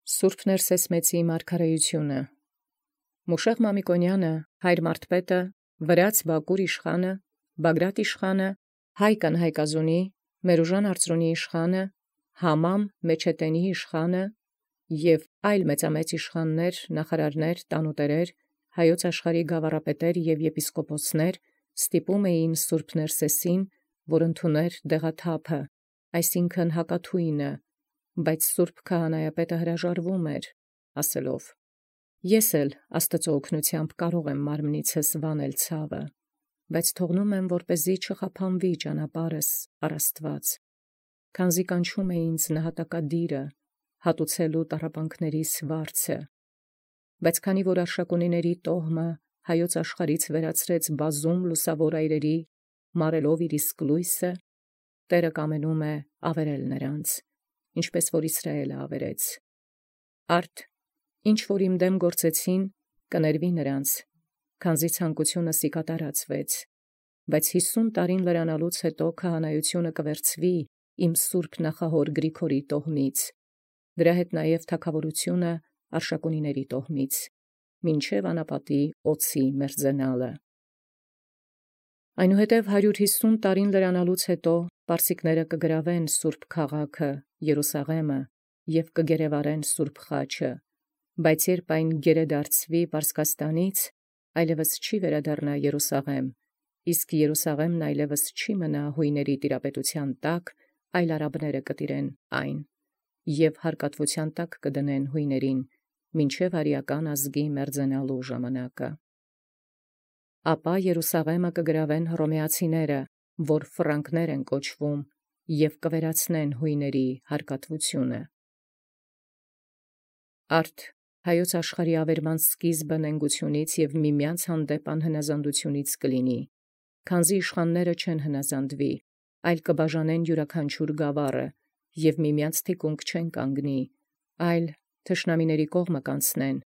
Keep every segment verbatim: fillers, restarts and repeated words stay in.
Սուրբ Ներսես մեծի մարգարեությունը Մուշեղ Մամիկոնյանը, հայր Մարտպետը, Վրաց Բակուր իշխանը, Բագրատ իշխանը, Հայկան Հայկազունի, Մերուժան Արծրունի իշխանը, Համամ Մեչետենի իշխանը և այլ մեծամեծ իշխաններ, նախարարներ, տանուտերեր, հայոց աշխարհի գավառապետեր և եպիսկոպոսներ ստիպում էին Սուրբ Ներսեսին, որ ընդուներ դեղաթափը, այսինքն հակաթույնը, բայց Սուրբ Քահանայապետը հրաժարվում էր, ասելով. Ես էլ Աստծո օգնությամբ կարող եմ մարմնիցս վանել ցավը, բայց թողնում եմ, որպեսզի չխափանվի ճանապարհս առ Աստված, քանզի կանչում է ինձ նահատակադիրը, հատուցելու տառապանքներիս վարձը, բայց քանի որ արշակունիների տոհմը հայոց աշխարհից վերացրեց բազում լուսավոր այրերի, մարելով իր իսկ լույսը, Տերը կամենում է ավերել նրանց, ինչպես որ Իսրայելը ավերեց. Արդ ինչ որ իմ դեմ գործեցին, կներվի նրանց, քանզի ցանկությունս ի կատարածվեց, բայց հիսուն տարին լրանալուց հետո քահանայությունը կվերցվի իմ սուրբ նախահոր Գրիգորի տոհմից, դրա հետ նաև թագավորությունը արշակունիների տոհմից, մինչև անապատի օծի մերձենալը։ Այնուհետև հարյուր հիսուն տարին լրանալուց հետո պարսիկները կգրավեն սուրբ քաղաքը Երուսաղեմը և կգերեվարեն սուրբ խաչը, բայց երբ այն գերեդարձվի Պարսկաստանից, այլևս չի վերադառնա Երուսաղեմ, իսկ Երուսաղեմն այլևս չի մնա հույների տիրապետության տակ, այլ արաբները կտիրեն այն, և հարկատվության տակ կդնեն հույներին, մինչև արիական ազգի մերձենալու ժամանակը։ Ապա Երուսաղեմը կգրավեն հռոմեացիները, որ ֆրանկներ են կոչվում, և կվերացնեն հույների հարկատվությունը։ Արդ հայոց աշխարհի ավերման սկիզբը նենգությունից և միմյանց հանդեպ անհնազանդությունից կլինի, քանզի իշխանները չեն հնազանդվի, այլ կբաժանեն յուրաքանչյուր գավառը, և միմյանց թիկունք չեն կանգնի, այլ թշնամիների կողմը կանցնեն։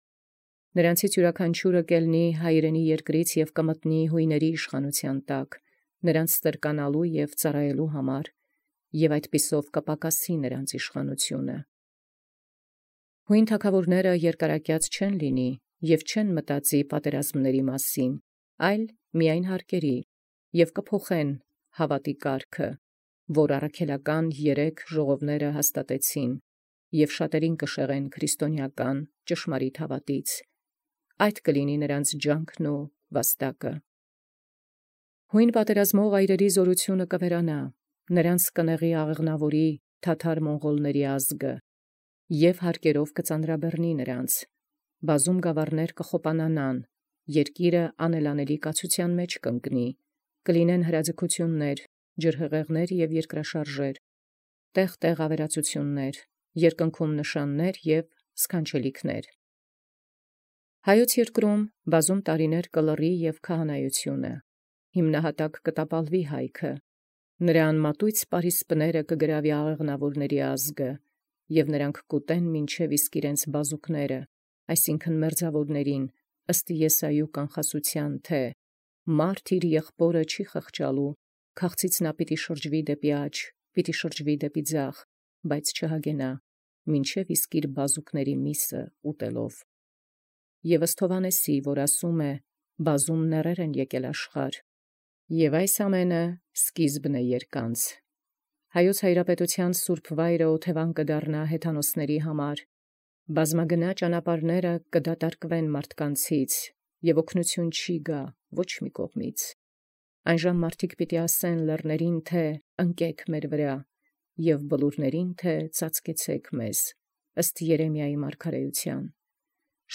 Նրանցից յուրաքանչյուրը կելնի հայրենի երկրից և կմտնի հույների իշխանության տակ, նրանց ստրկանալու և ծառայելու համար, և այդպիսով կպակասի նրանց իշխանությունը։ Հույն թագավորները երկարակյաց չեն լինի և չեն մտածի պատերազմների մասին, այլ միայն հարկերի, և կփոխեն հավատի կարգը, որ առաքելական երեք ժողովները հաստատեցին, և շատերին կշեղեն քրիստոնեական ճշմարիտ հավատից, այդ կլինի նրանց ջանքն ու վաստակը։ Հույն պատերազմող այրերի զորությունը կվերանա, նրանց կնեղի աղեղնավորի թաթար մոնղոլների ազգը, և հարկերով կծանրաբեռնի նրանց, բազում գավառներ կխոպանանան, երկիրը անելանելի կացության մեջ կընկնի, կլինեն հրաձգություններ, ջրհեղեղներ և երկրաշարժեր, տեղ-տեղ ավերածություններ, երկնքում նշաններ և սքանչելիքներ։ Հայոց երկրում բազում տարիներ կլռի և քահանայությունը, հիմնահատակ կտապալվի հայքը, նրա անմատույց պարիսպները կգրավի աղեղնավորների ազգը, և նրանք կուտեն մինչև իսկ իրենց բազուկները, այսինքն մերձավորներին, ըստ Եսայու կանխասության, թե մարդ իր եղբորը չի խղճալու, քաղցից նա պիտի շրջվի դեպի աջ, պիտի շրջվի դեպի ձախ, բայց չհագենա, մինչև իսկ իր բազուկների միսը ուտելով։ Եվ ըստ Հովհաննեսի, որ ասում է. բազում նեռեր են եկել աշխարհ, և այս ամենը սկիզբն է երկանց։ Հայոց հայրապետության սուրբ վայրը օթևան կդառնա հեթանոսների համար, բազմագնա ճանապարհները կդատարկվեն մարդկանցից, և օգնություն չի գա ոչ մի կողմից։ Այնժամ մարդիկ պիտի ասեն լեռներին, թե ընկեք մեր վրա, և բլուրներին, թե ծածկեցեք մեզ, ըստ Երեմիայի մարգարեության։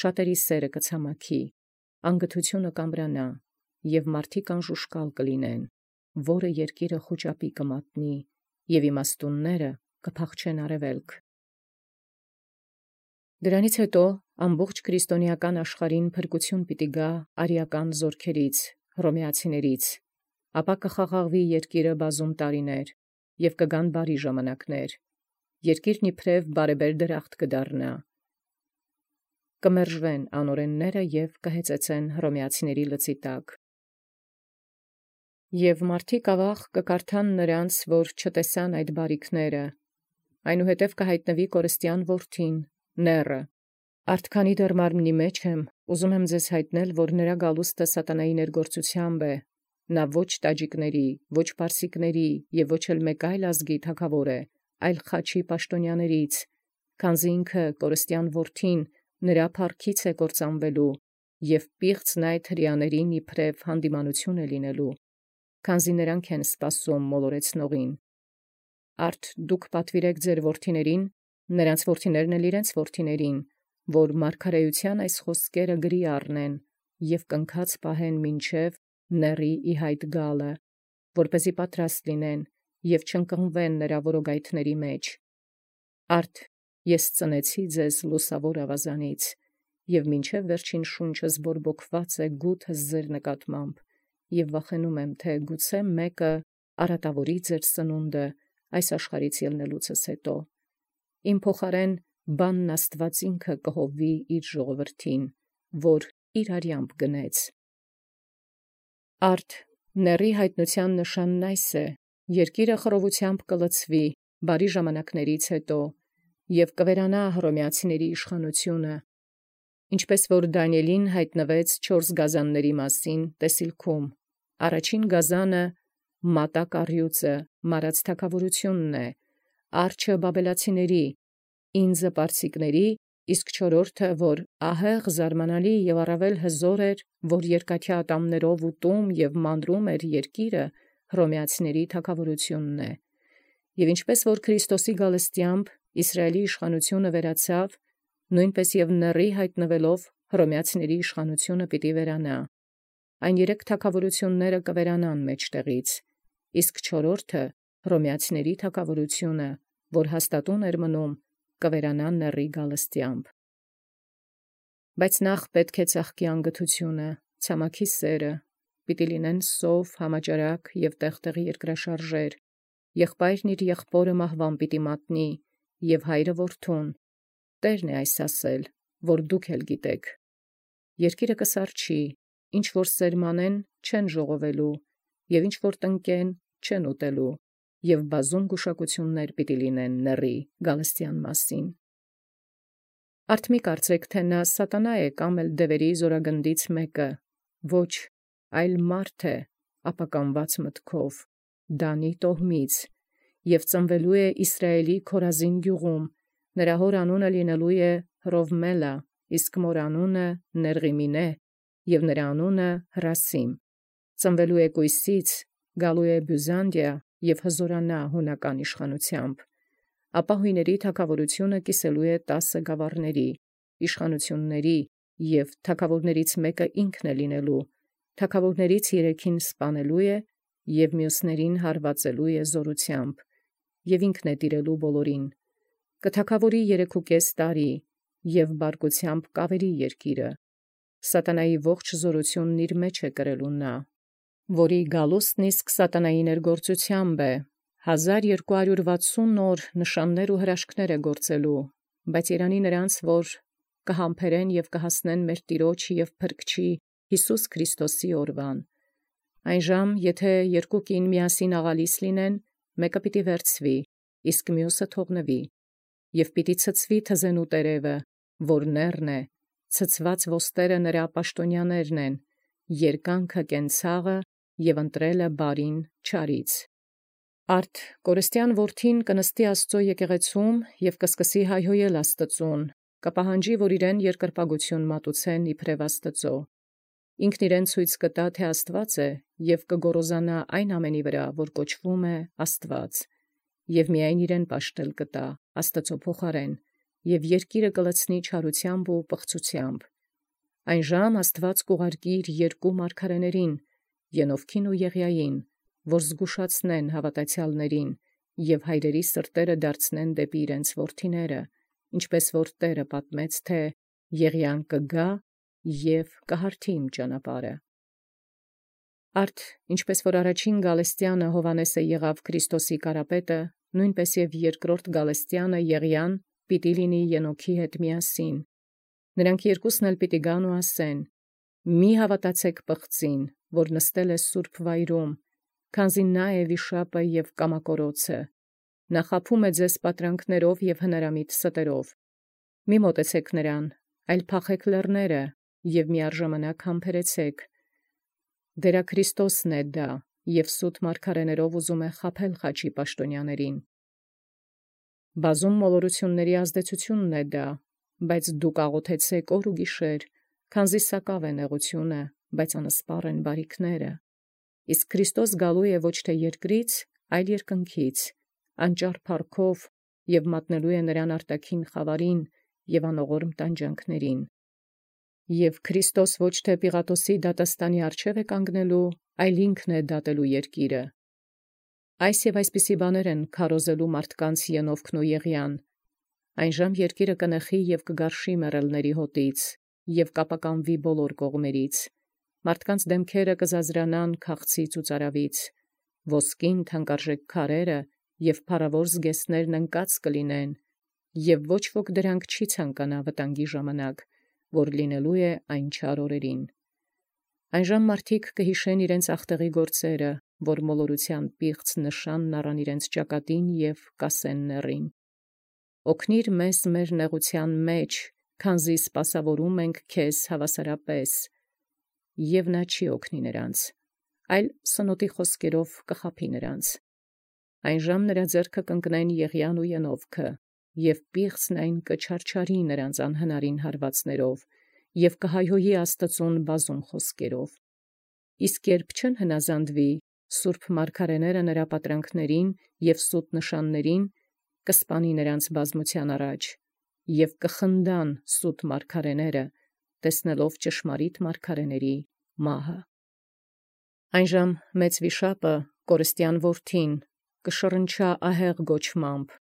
Շատերի սերը կցամաքի, անգթությունը կամրանա, և մարդիկ անժուշկալ կլինեն, որը երկիրը խուճապի կմատնի, և իմաստունները կփախչեն արևելք։ Դրանից հետո ամբողջ քրիստոնեական աշխարհին փրկություն պիտի գա արիական զորքերից, հռոմեացիներից, ապա կխաղաղվի երկիրը բազում տարիներ, և կգան բարի ժամանակներ, երկիրն իբրև բարեբեր դրախտ կդառնա, կմերժվեն անօրենները և կհեծեծեն հռոմեացիների լծի տակ։ Եվ մարդիկ ավաղ կկարդան նրանց, որ չտեսան այդ բարիքները, այնուհետև կհայտնվի կորստյան որդին, Նեռը։ Արդ քանի դեռ մարմնի մեջ եմ, ուզում եմ ձեզ հայտնել, որ նրա գալուստը սատանայի ներգործությամբ է, նա ոչ տաջիկների, ոչ պարսիկների և ոչ էլ մեկ այլ ազգի թագավոր է, այլ խաչի պաշտոնյաներից, քանզի ինքը կորստյան որդին նրա փառքից է կործանվելու, և պիղծն այդ հրեաներին իբրև հանդիմանություն է լինելու, քանզի նրանք են սպասում մոլորեցնողին։ Արդ դուք պատվիրեք ձեր որդիներին, նրանց որդիներն էլ իրենց որդիներին, որ մարգարեության այս խոսքերը գրի առնեն և կնքած պահեն մինչև նեռի ի հայտ գալը, որպեսզի պատրաստ լինեն և չընկղմվեն նրա որոգայթների մեջ։ Արդ ես ծնեցի ձեզ լուսավոր ավազանից, և մինչև վերջին շունչս բորբոքված է գութս ձեր նկատմամբ, և վախենում եմ, թե գուցե մեկը արատավորի ձեր սնունդը այս աշխարհից ելնելուցս հետո։ Իմ փոխարեն բանն Աստված ինքը կհովվի իր ժողովրդին, որ իր արյամբ գնեց։ Արդ նեռի հայտնության նշանն այս է. երկիրը խռովությամբ կլցվի բարի ժամանակներից հետո, և կվերանա հռոմեացիների իշխանությունը, ինչպես որ Դանիէլին հայտնվեց չորս գազանների մասին տեսիլքում. առաջին գազանը մատակ առյուծը, մարած թագավորությունն է, արջը բաբելացիների, ինձը պարսիկների, իսկ չորրորդը, որ ահեղ զարմանալի և առավել հզոր էր, որ երկաթյա ատամներով ուտում և մանրում էր երկիրը, հռոմեացիների թագավորությունն է։ Եվ ինչպես որ Քրիստոսի գալստյամբ Իսրայելի իշխանությունը վերացավ, նույնպես և նեռի հայտնվելով հռոմեացիների իշխանությունը պիտի վերանա։ Այն երեք թագավորությունները կվերանան մեջտեղից, իսկ չորրորդը հռոմեացիների թագավորությունը, որ հաստատուն էր մնում, կվերանա նեռի գալստյամբ։ Բայց նախ պետք է ծաղկի անգթությունը, ցամաքի սերը, պիտի լինեն սով, համաճարակ և տեղ-տեղ երկրաշարժեր, եղբայրն իր եղբորը մահվան պիտի մատնի, և հայրը որդուն, Տերն է այս ասել, որ դուք էլ գիտեք։ Երկիրը կսառչի, ինչ որ սերմանեն, չեն ժողովելու, և ինչ որ տնկեն, չեն ուտելու, և բազում գուշակություններ պիտի լինեն նեռի գալստյան մասին։ Արդ մի կարծեք, թե նա սատանա է կամ էլ դևերի զորագնդից մեկը, ոչ, այլ մարդ է, ապականված մտքով, Դանի տոհմից, և ծնվելու է Իսրայելի Քորազին գյուղում, նրա հոր անունը լինելու է Հռովմելա, իսկ մոր անունը Ներղիմինե, և նրա անունը Հրասիմ, ծնվելու է Կույսից, գալու է Բյուզանդիա և հզորանա հունական իշխանությամբ, ապա հույների թագավորությունը կիսելու է տասը գավառների, իշխանությունների, և թագավորներից մեկը ինքն է լինելու, թագավորներից երեքին սպանելու է, և մյուսներին հարվածելու է զորությամբ, և ինքն է տիրելու բոլորին, կթագավորի երեքուկես տարի, և բարկությամբ կավերի երկիրը, սատանայի ողջ զորությունն իր մեջ է կրելու նա, որի գալուստն իսկ սատանայի ներգործությամբ է, հազար երկու հարյուր վաթսուն օր նշաններ ու հրաշքներ է գործելու, բայց երանի նրանց, որ կհամբերեն և կհասնեն մեր Տիրոջ և Փրկչի Յիսուս Քրիստոսի օրվան։ Այն ժամ, եթե երկու կին միասին աղալիս լինեն, մեկը պիտի վերցվի, իսկ մյուսը թողնվի, և պիտի ցցվի թզենու տերևը, որ նեռն է, ցցված ոստերը նրա պաշտոնյաներն են, երկանքը կենցաղը և ընտրելը բարին չարից։ Արդ կորստյան որդին կնստի Աստծո եկեղեցում և կսկսի հայհոյել Աստծուն, կպահանջի, որ իրեն երկրպագություն մատուցեն իբրև Աստծո։ Ինքն իրեն ցույց կտա, թե Աստված է, և կգոռոզանա այն ամենի վրա, որ կոչվում է Աստված, և միայն իրեն պաշտել կտա Աստծո փոխարեն, և երկիրը կլցնի չարությամբ ու պղծությամբ։ Այն ժամ Աստված կուղարկի իր երկու մարգարեներին, Ենովքին ու Եղիային, որ զգուշացնեն հավատացյալներին և հայրերի սրտերը դարձնեն դեպի իրենց որդիները, ինչպես որ Տերը պատմեց, թե Եղիան կգա և կհարթի իմ ճանապարհը։ Արդ ինչպես որ առաջին գալստյանը Հովհաննեսը եղավ Քրիստոսի կարապետը, նույնպես և երկրորդ գալստյանը Եղիան պիտի լինի Ենոքի հետ միասին։ Նրանք երկուսն էլ պիտի գան ու ասեն. «Մի հավատացեք պղծին, որ նստել է սուրբ վայրում, քանզի նա է վիշապը և կամակորոցը, նա խաբում է ձեզ պատրանքներով և հնարամիտ ստերով։ Մի մոտեցեք նրան, այլ փախեք լեռները և միաժամանակ համբերեցեք։ Դերա Քրիստոսն է դա, և սուտ մարգարեներով ուզում է խաբել խաչի պաշտոնյաներին։ Բազում մոլորությունների ազդեցությունն է դա, բայց դուք աղոթեցեք օր ու գիշեր, քանզի սակավ է նեղությունը, բայց անսպառ են բարիքները։ Իսկ Քրիստոս գալու է ոչ թե երկրից, այլ երկնքից, անճար փառքով և մատնելու է նրան արտաքին խավարին և անողորմ տանջանքներին։ Եվ Քրիստոս ոչ թե Պիղատոսի դատաստանի առջև է կանգնելու, այլ ինքն է դատելու երկիրը։ Այս և այսպիսի բաներ են քարոզելու մարդկանց Ենովքն ու Եղիան։ Այնժամ երկիրը կնեխի և կգարշի մեռելների հոտից, և կապականվի բոլոր կողմերից։ Մարդկանց դեմքերը կզազրանան քաղցից ու ծարավից, ոսկին թանկարժեք քարերը և փառավոր զգեստներն ընկած կլինեն, և ոչ ոք դրանք չի ցանկանա վտանգի ժամանակ, որ լինելու է այն չար օրերին։ Այնժամ մարդիկ կհիշեն իրենց ախտեղի գործերը, որ մոլորության պիղծ նշանն առան իրենց ճակատին և կասեն նեռին. «Օգնիր մեզ մեր նեղության մեջ, քանզի սպասավորում ենք քեզ հավասարապես»։ Եվ նա չի օգնի նրանց, այլ սնոտի խոսքերով կխաբի նրանց։ Այնժամ նրա ձեռքը կընկնեն Եղիան ու Ենովքը, և պիղծն այն կչարչարի նրանց անհնարին հարվածներով, և կհայհոյի Աստծուն բազում խոսքերով։ Իսկ երբ չեն հնազանդվի, սուրբ մարգարեները նրա պատրանքներին և սուտ նշաններին, կսպանի նրանց բազմության առաջ, և կխնդան սուտ մարգարեները, տեսնելով ճշմարիտ մարգարեների մահը։ Այնժամ մեծ վիշապը, կորստյան որդին, կշռնչա ահեղ գոչմամբ,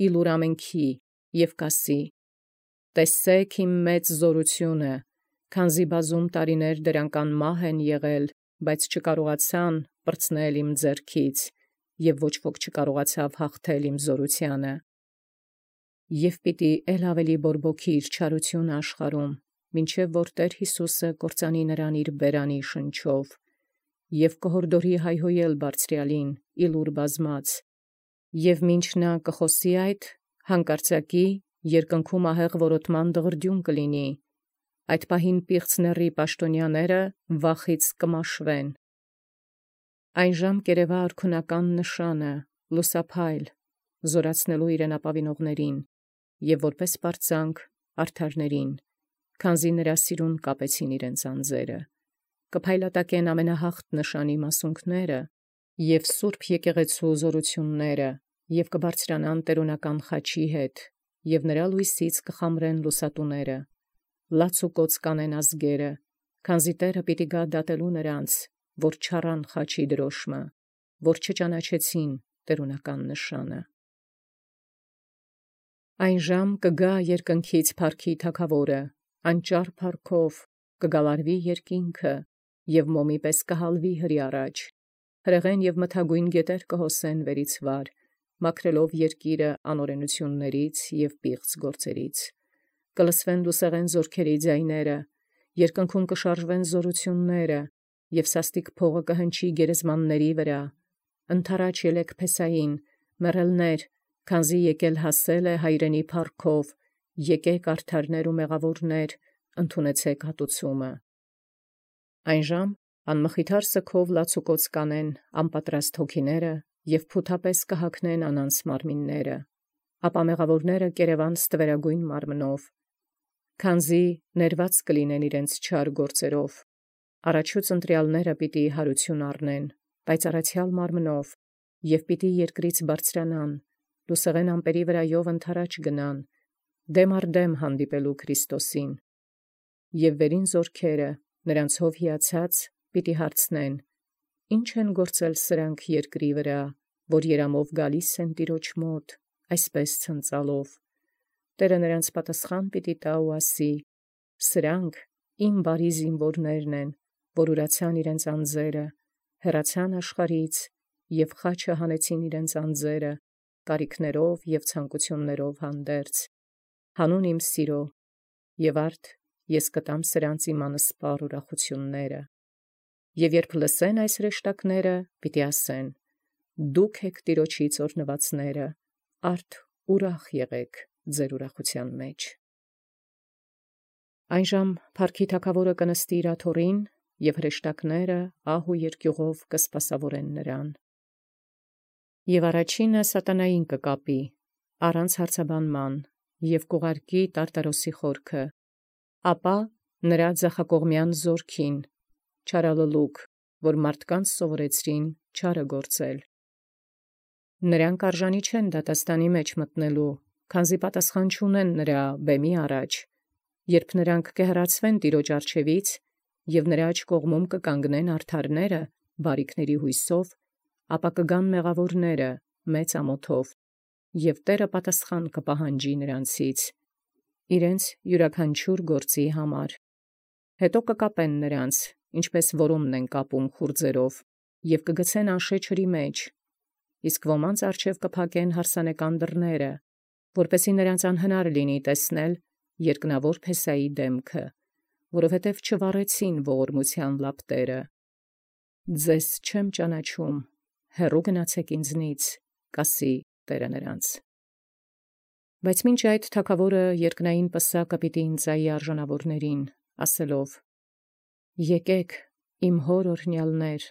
իլուր ամենքի, և կասի. «Տեսեք իմ մեծ զորությունը, քանզի բազում տարիներ դրանք անմահ են եղել, բայց չկարողացան պրծնել իմ ձեռքից, և ոչ ոք չկարողացավ հաղթել իմ զորությանը»։ Եվ պիտի էլ ավելի բորբոքի իր չարությունը աշխարհում, մինչև որ Տեր Հիսուսը կործանի նրան իր բերանի շնչով, և կհորդորի հայհոյել Բարձրյալին, իլուր բազմած, և մինչ նա կխոսի այդ, հանկարծակի երկնքում ահեղ որոտման դղրդյուն կլինի, այդ պահին պիղծ նեռի պաշտոնյաները վախից կմաշվեն։ Այնժամ կերևա արքունական նշանը, լուսափայլ, զորացնելու իրեն ապավինողներին, և որպես պարծանք արդարներին, քանզի նրա սիրուն կապեցին իրենց անձերը։ Կփայլատակեն ամենահաղթ նշանի մասունքները և սուրբ եկեղեցու զորությունները, և կբարձրանան տերունական խաչի հետ, և նրա լույսից կխամրեն լուսատուները։ Լաց ու կոծ կանեն ազգերը, քանզի Տերը պիտի գա դատելու նրանց, որ չառան խաչի դրոշմը, որ չճանաչեցին տերունական նշանը։ Այնժամ կգա երկնքից փառքի Թագավորը, անճար փառքով, կգալարվի երկինքը, և մոմի պես կհալվի հրի առաջ։ Հրեղեն և մթագույն գետեր կհոսեն վերից վար, մաքրելով երկիրը անօրենություններից և պիղծ գործերից։ Կլսվեն լուսեղեն զորքերի ձայները, երկնքում կշարժվեն զորությունները, և սաստիկ փողը կհնչի գերեզմանների վրա։ Ընդառաջ ելեք փեսային, մեռելներ, քանզի եկել հասել է հայրենի փառքով, եկեք արդարներ ու մեղավորներ, ընդունեցեք հատուցումը։ Այնժամ անմխիթար սգով լացուկոծ կանեն անպատրաստ հոգիները և փութապես կհագնեն անանց մարմինները, ապա մեղավորները կերևան ստվերագույն մարմնով, քանզի ներված կլինեն իրենց չար գործերով։ Առաջուց ընտրյալները պիտի հարություն առնեն, բայց առացյալ մարմնով, և պիտի երկրից բարձրանան, լուսեղեն ամպերի վրայով ընդառաջ գնան, դեմ առ դեմ հանդիպելու Քրիստոսին։ Եվ վերին զորքերը, նրանցով հիացած, պիտի հարցնեն. «Ի՞նչ են գործել սրանք երկրի վրա, որ երամով գալիս են Տիրոջ մոտ, այսպես ցնծալով»։ Տերը նրանց պատասխան պիտի տա ու ասի. «Սրանք իմ բարի զինվորներն են, որ ուրացան իրենց անձերը, հեռացան աշխարհից և խաչը հանեցին իրենց անձերը, կարիքներով և ցանկություններով հանդերձ, հանուն իմ սիրո, և արդ ես կտամ սրանց իմ անսպառ ուրախությունները։ Եվ երբ լսեն այս հրեշտակները, պիտի ասեն. «Դուք եք Տիրոջից օրհնվածները, արդ ուրախ եղեք ձեր ուրախության մեջ»։ Այնժամ փառքի թագաւորը կնստի իր աթոռին, եւ հրեշտակները ահ ու երկյուղով կսպասավորեն նրան։ Եւ առաջինը սատանային կկապի, առանց հարցաբանման, եւ կուղարկի Տարտարոսի խորքը, ապա նրա ձախակողմյան զորքին, չարալլուկ, որ մարդկանց սովորեցրին չարը գործել։ Նրանք արժանի չեն դատաստանի մեջ մտնելու, քանզի պատասխան չունեն նրա բեմի առաջ, երբ նրանք կհեռացվեն Տիրոջ առջևից, եւ նրա աջ կողմում կկանգնեն արդարները բարիքների հույսով, ապա կգան մեղավորները մեծ ամոթով, եւ Տերը պատասխան կպահանջի նրանցից իրենց յուրաքանչյուր գործի համար։ Հետո կկապեն նրանց, ինչպես որոմն են կապում խուրձերով, եւ կգցեն անշե ջրի մեջ, իսկ ոմանց առջև կփակեն հարսանեկան դռները, որպեսզի նրանց անհնար լինի տեսնել երկնավոր Փեսայի դեմքը, որովհետև չվառեցին ողորմության լապտերը։ Ձեզ չեմ ճանաչում, հեռու գնացեք ինձնից, կասի Տերը նրանց։ Բայց մինչ այդ թագավորը երկնային պսակը պիտի ընծայի արժանավորներին, ասելով. Եկեք, իմ հոր օրհնյալներ,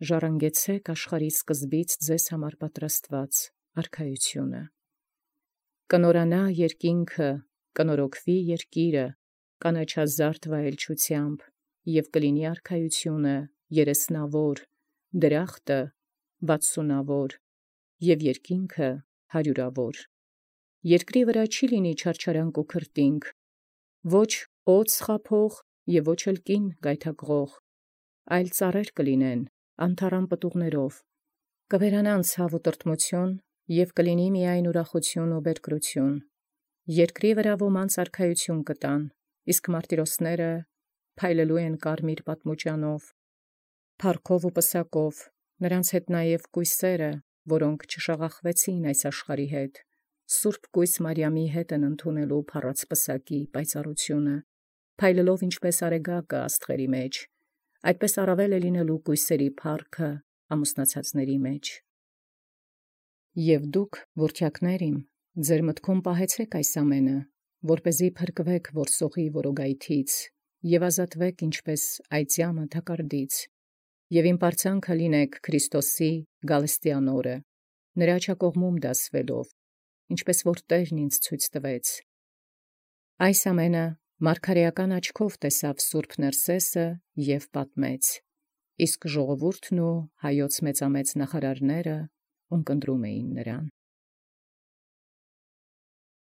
ժառանգեցեք աշխարհի սկզբից ձեզ համար պատրաստված արքայությունը։ Կնորանա երկինքը, կնորոգվի երկիրը, կանաչազարդ վայելչությամբ, եւ կլինի արքայությունը երեսնավոր, դրախտը վաթսունավոր, եւ երկինքը հարյուրավոր։ Երկրի վրա չի լինի չարչարանք ու քրտինք, ոչ օձ խաբող եւ ոչ էլ կին գայթակղող, այլ ծառեր կլինեն անթառամ պտուղներով, կվերանան ցավ ու տրտմություն, եւ կլինի միայն ուրախություն ու բերկրություն։ Երկրի վրա ոմանց արքայություն կտան, իսկ մարտիրոսները փայլելու են կարմիր պատմուճանով, փառքով ու պսակով, նրանց հետ նաեւ կույսերը, որոնք չշաղախվեցին այս աշխարհի հետ, Սուրբ կույս Մարիամի հետ են ընդունելու փառած պսակի պայծառությունը, փայլելով ինչպես արեգակը աստղերի մեջ, այդպես առավել է լինելու կույսերի փառքը ամուսնացածների մեջ։ Եվ դուք, որդյակներ իմ, ձեր մտքում պահեցեք այս ամենը, որպեսզի փրկվեք որսողի որոգայթից եւ ազատվեք ինչպես այծյամը թակարդից, եւ իմ պարծանքը լինեք Քրիստոսի գալստյան օրը, նրա աջակողմում դասվելով, ինչպես որ Տերն ինձ ցույց տվեց։ Այս ամենը մարգարեական աչքով տեսավ Սուրբ Ներսեսը եւ պատմեց, իսկ ժողովուրդն ու հայոց մեծամեծ նախարարները ունկնդրում էին նրան։